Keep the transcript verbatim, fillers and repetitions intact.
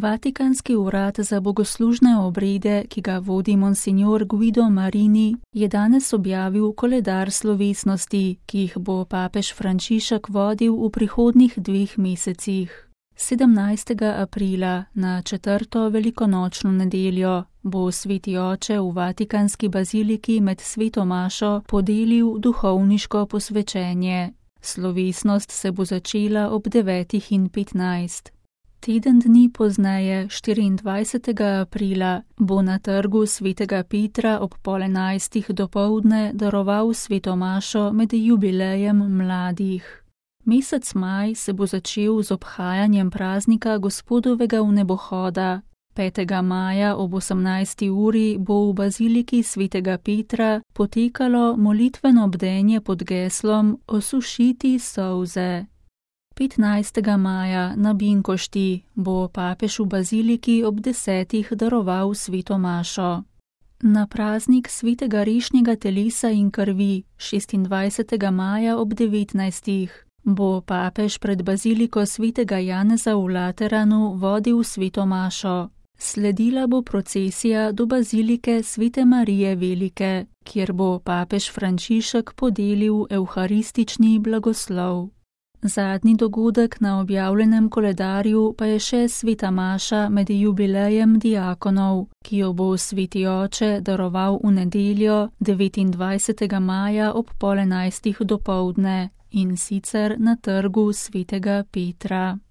Vatikanski urad za bogoslužne obrede, ki ga vodi monsignor Guido Marini, je danes objavil koledar slovesnosti, ki jih bo papež Frančišek vodil v prihodnjih dveh mesecih. sedemnajstega aprila na četrto velikonočno nedeljo bo sveti oče v Vatikanski baziliki med sveto mašo podelil duhovniško posvečenje. Slovesnost se bo začela ob devetih in petnajst. Teden dni pozneje, štiriindvajsetega aprila, bo na trgu svetega Petra ob pol enajstih dopoldne daroval sveto mašo med jubilejem mladih. Mesec maj se bo začel z obhajanjem praznika Gospodovega vnebohoda. petega maja ob osemnajsti uri bo v baziliki svetega Petra potekalo molitveno bdenje pod geslom Osušiti solze. petnajstega maja na Binkošti bo papež v baziliki ob desetih daroval sveto mašo. Na praznik svetega rešnjega telesa in krvi šestindvajsetega maja ob devetnajstih bo papež pred baziliko svetega Janeza v Lateranu vodil sveto mašo. Sledila bo procesija do bazilike svete Marije Velike, kjer bo papež Frančišek podelil evharistični blagoslov. Zadnji dogodek na objavljenem koledarju pa je še sveta maša med jubilejem diakonov, ki jo bo sveti oče daroval v nedeljo devetindvajsetega maja ob pol enajstih dopoldne in sicer na trgu svetega Petra.